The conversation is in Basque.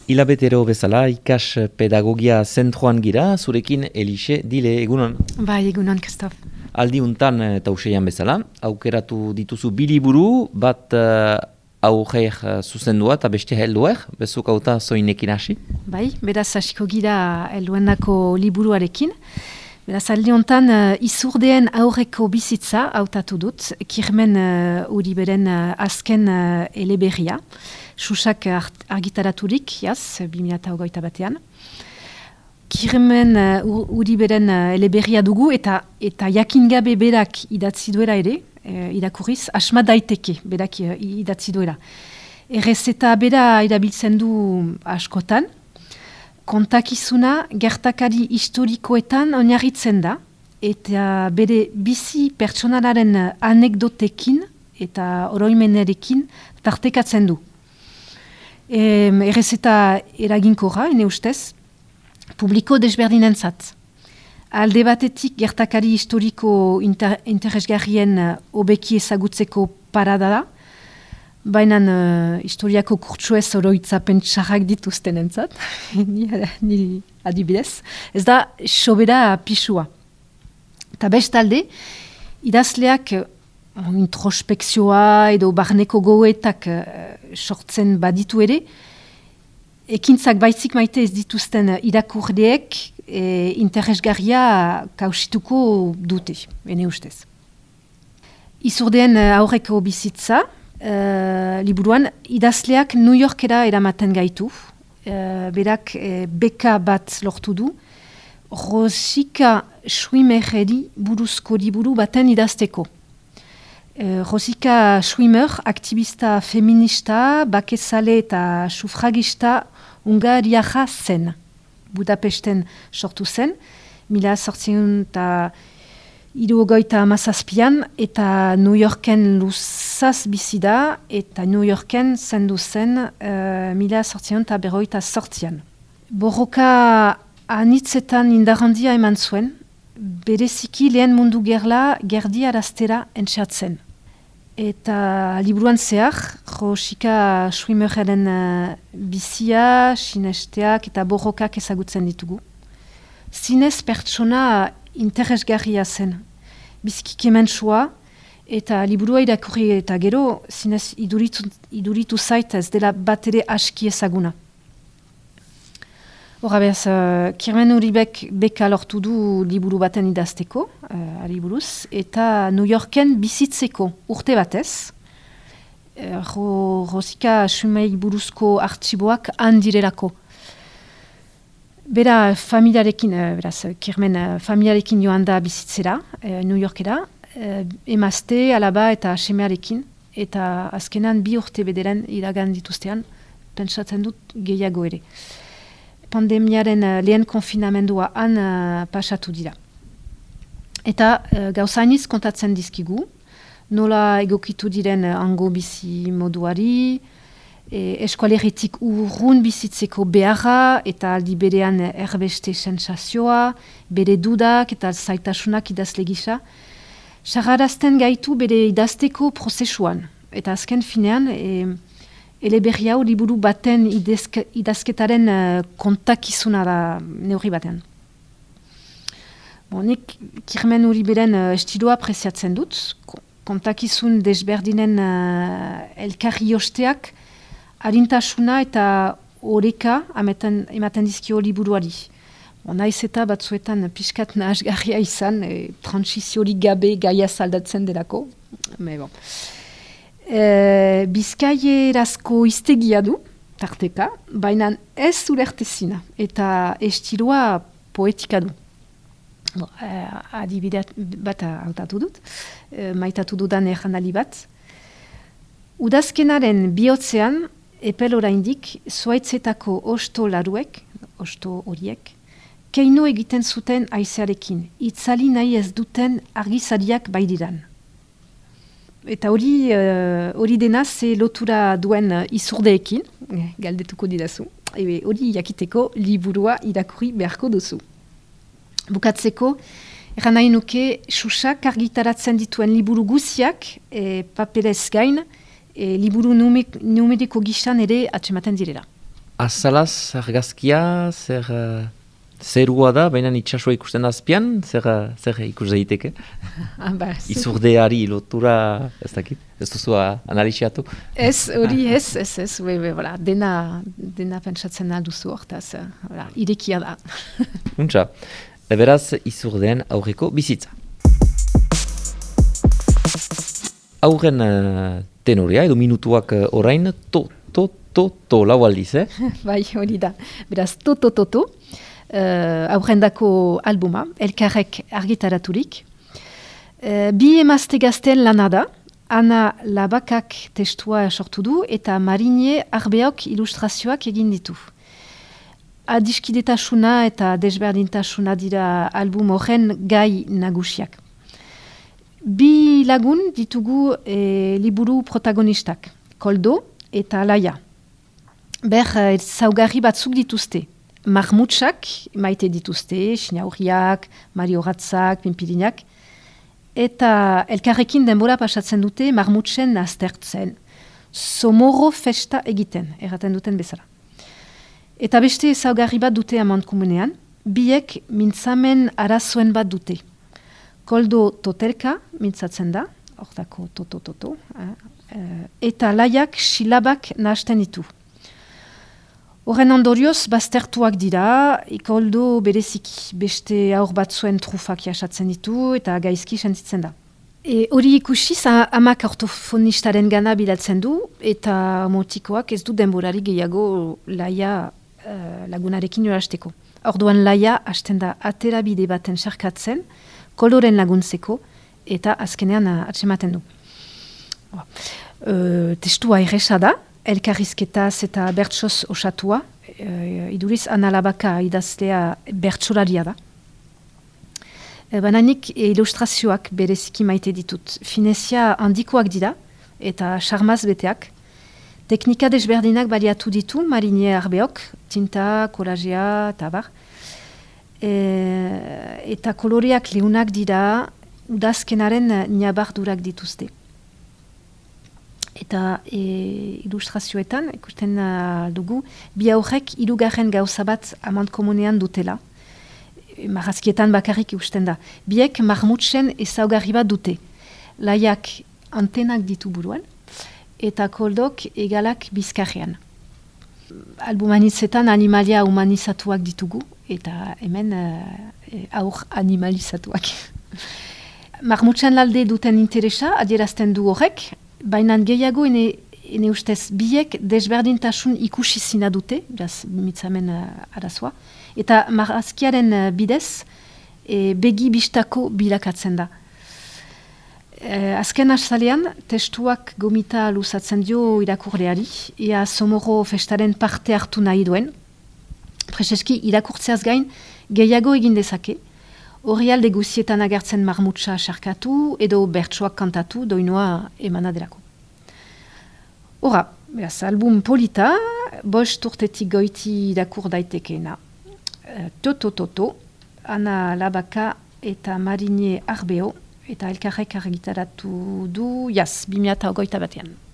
Hilabetero bezala ikas pedagogia zentroan gira, zurekin Elixe Dile, egunon. Bai, egunon, Kristof. Aldi untan eta useian bezala, aukeratu dituzu biliburu, bat aurreik zuzendua eta beste helduek, bezuk auta zoinekin hasi. Bai, beraz hasiko gira helduenako liburuarekin. Beraz, aldi untan izurdeen aurreko bizitza hautatu dut, Kirmen Uriberen azken eleberria. Susak argitaraturik, jaz, 2021 batean. Kirmen Uriberen eleberria dugu eta jakin gabe berak idatzi duela ere, irakurriz, asma daiteke berak idatzi duela. Errezeta bera erabiltzen du askotan, kontakizuna gertakari historikoetan oinarritzen da, eta bere bizi pertsonalaren anekdotekin eta oroimenerekin tartekatzen du. Errezeta eraginkorra, ene ustez, publiko desberdinentzat. Alde batetik gertakari historiko interesgarrien hobeki ezagutzeko parada da, baina historiako kurtsuez oroitzapen txarrak dituztenentzat, ni adibidez, ez da sobera pisua. Eta bestalde, idazleak introspekzioa edo barneko goetak sortzen baditu ere, ekintzak baitzik maite ez dituzten irakurleek interesgarria kausituko dute, ene ustez. Izurdeen aurreko bizitza, liburuan, idazleak New Yorkera eramaten gaitu, berak beka bat lortu du, Rosika Schwimmereri buruzko liburu baten idazteko. Rosika Schwimmer, aktivista feminista, bakezale eta sufragista hungariaja zen. Budapesten sortu zen, 1857 eta New Yorken luzaz bizi da, eta New Yorken zendu zen 1858. Borroka anitzetan indarrandia eman zuen, bereziki lehen mundu gerla gerdi araztera entxatzen. Eta liburuan zehar, Rosika Schwimmerren bizia, sinesteak eta borrokak ezagutzen ditugu. Zinez pertsona interesgarria zen. Biziki kementsua eta liburua irakurri eta gero, zinez iduritu zait ez dela bat ere aski ezaguna. Horra behaz, Kirmen Uribek beka lortu du liburu baten idazteko, aliburuz, eta New Yorken bizitzeko urte batez. Rosika Schwimmerei buruzko artxiboak handirelako. Bera familiarekin, Kirmen familiarekin joan da bizitzera, New Yorkera, emazte, alaba eta semearekin, eta azkenan 2 urte bederen iragan dituztean, pentsatzen dut gehiago ere. Pandemiaren lehen konfinamendua han pasatu dira. Eta gauzainiz kontatzen dizkigu, nola egokitu diren hango bizi moduari, eskualeritik urrun bizitzeko beharra eta aldi berean erbeste sensazioa, bere dudak eta zaitasunak idazle gisa, sarrarazten gaitu bere idazteko prozesuan. Eta azken finean, eleberri hau liburu baten idazketaren kontakizuna da neurri batean. Nik Kirmen Uriberen estiloa apresiatzen dut, kontakizun desberdinen elkarri josteak, harintasuna eta oreka ematen dizkio liburuari. Naiz eta batzuetan pixkat nahasgarria izan, transiziorik gabe gaia zaldatzen delako. Bizkaierazko iztegia du, tarteka, baina ez ulertezina eta estiloa poetika du. Adibide bat hautatu dut, maitatu dudan errandali bat. Udazkenaren bihotzean, epel oraindik, zuaitzetako osto laruek, osto horiek, keino egiten zuten haizearekin, itzali nahi ez duten argizariak bairiran. Eta hori dena ze lotura duen izurdeekin, galdetuko didazu, hori jakiteko liburua irakurri beharko duzu. Bukatzeko, erran nahi nuke Susak argitaratzen dituen liburu guziak, paperez gain, liburu numeriko gisan ere atsematen direla. azalaz argazkia, zerua da, baina itxasua ikusten da azpian, zer ikus daiteke? Izurdeari lotura, ez dakit, ez duzu analisiatu? Ez, hori ez, dena pentsatzen alduzu hortaz, irekia da. Untxa, beraz izurdean aurreko bizitza. Aurren tenorea, edo minutuak orain, lau aldiz, Bai, hori da. Beraz, aurrendako albuma, elkarrek argitaraturik. Bi emazte gazten lana da, Ana Labakak testua sortu du eta Marine Arbeok ilustrazioak egin ditu. Adiskidetasuna eta desberdintasuna dira album horren gai nagusiak. Bi lagun ditugu liburu protagonistak, Koldo eta Laia. Zaugarri batzuk dituzte. Marmutsak maite dituzte, Sinauriak, Marioratzak, Pimpirinak. Eta elkarrekin denbora pasatzen dute marmutsen aztertzen. Somorro festa egiten, erraten duten bezala. Eta beste zaugarri bat dute amankomunean, biek mintzamen arazoen bat dute. Koldo totelka mintzatzen da, hortako toto, eta Laiak silabak nahasten ditu. Horren ondorioz, baztertuak dira, Koldo bereziki beste aur batzuen trufak jasatzen ditu eta gaizki sentitzen da. Hori ikusiz, amak ortofonistaren gana bilatzen du eta motikoak ez du denborari gehiago Laia lagunarekin jorasteko. Orduan Laia hasten da aterabide baten sarkatzen, Koldoren laguntzeko eta azkenean atsematen du. Testua erresa da, elkarrizketaz eta bertsoz osatua, iduriz Ana Labaka idazlea bertsolaria da. Bananik ilustrazioak bereziki maite ditut. Finezia handikoak dira eta charmaz beteak. Teknika desberdinak baliatu ditu, Marine Arbeok, tinta, kolagea eta bar. Eta koloreak leunak dira, udazkenaren nabardurak dituzte. Eta ilustrazioetan, ikusten dugu, bi aurrek hirugarren gauza bat amankomunean dutela. Marrazkietan bakarrik ikusten da. Biek marmutsen ezaugarri bat dute. Laiak antenak ditu buruan, eta Koldok egalak bizkarrean. Albumanitzetan animalia humanizatuak ditugu, eta hemen aur animalizatuak. Marmutsen lalde duten interesa, adierazten du horrek, baina gehiago ene ustez biek desberdintasun ikusi zina dute, mitzamen arazoa, eta marrazkiaren bidez begi bistako bilakatzen da. Azken azalean, testuak gomita luzatzen dio irakurleari, ea Somorro festaren parte hartu nahi duen. Prezeski irakurtzeaz gain gehiago egin dezake, Orrialde guzietan agertzen marmutsa sarkatu edo bertsoak kantatu doinoa emanaderako. Hora, beraz, album polita, 5 urtetik goiti irakur daitekeena. Toto, Ana Labaka eta Marine Arbeo eta elkarrek argitaratu du, 2021.